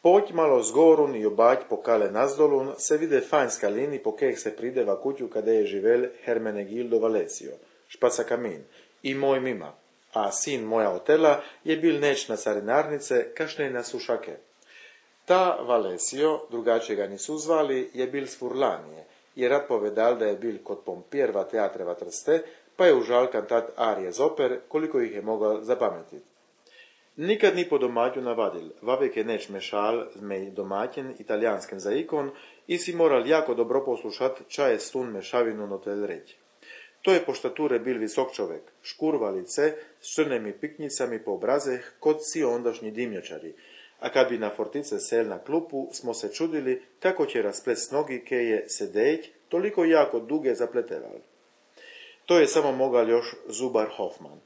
Poď malo zgorun i obať po kale nazdolun se vide fanjska lini po keh se prideva kuću kada je živel Hermenegildo Valesio, špaca kamin, i moj mima, a sin moja otela je bil neč na carinarnice kašne na sušake. Ta Valesio, drugačije ga nisu zvali, je bil s Furlanije, je rad povedal da je bil kod pompjerva teatreva Trste, pa je užal kantat arije z oper, koliko ih je mogao zapametiti. Nikad ni po domaću navadil, vavek je neč mešal zmej domaćen italijanskim zaikon i si moral jako dobro poslušat čaje stun mešavinu notel reći. To je po štature bil visok čovek, škurva lice s črnemi piknicami po obrazeh kod si ondašnji dimnjačari, a kad bi na fortice sel na klupu, smo se čudili kako će rasples nogi ke je sedeć toliko jako duge zapleteval. To je samo mogal još zubar Hoffman.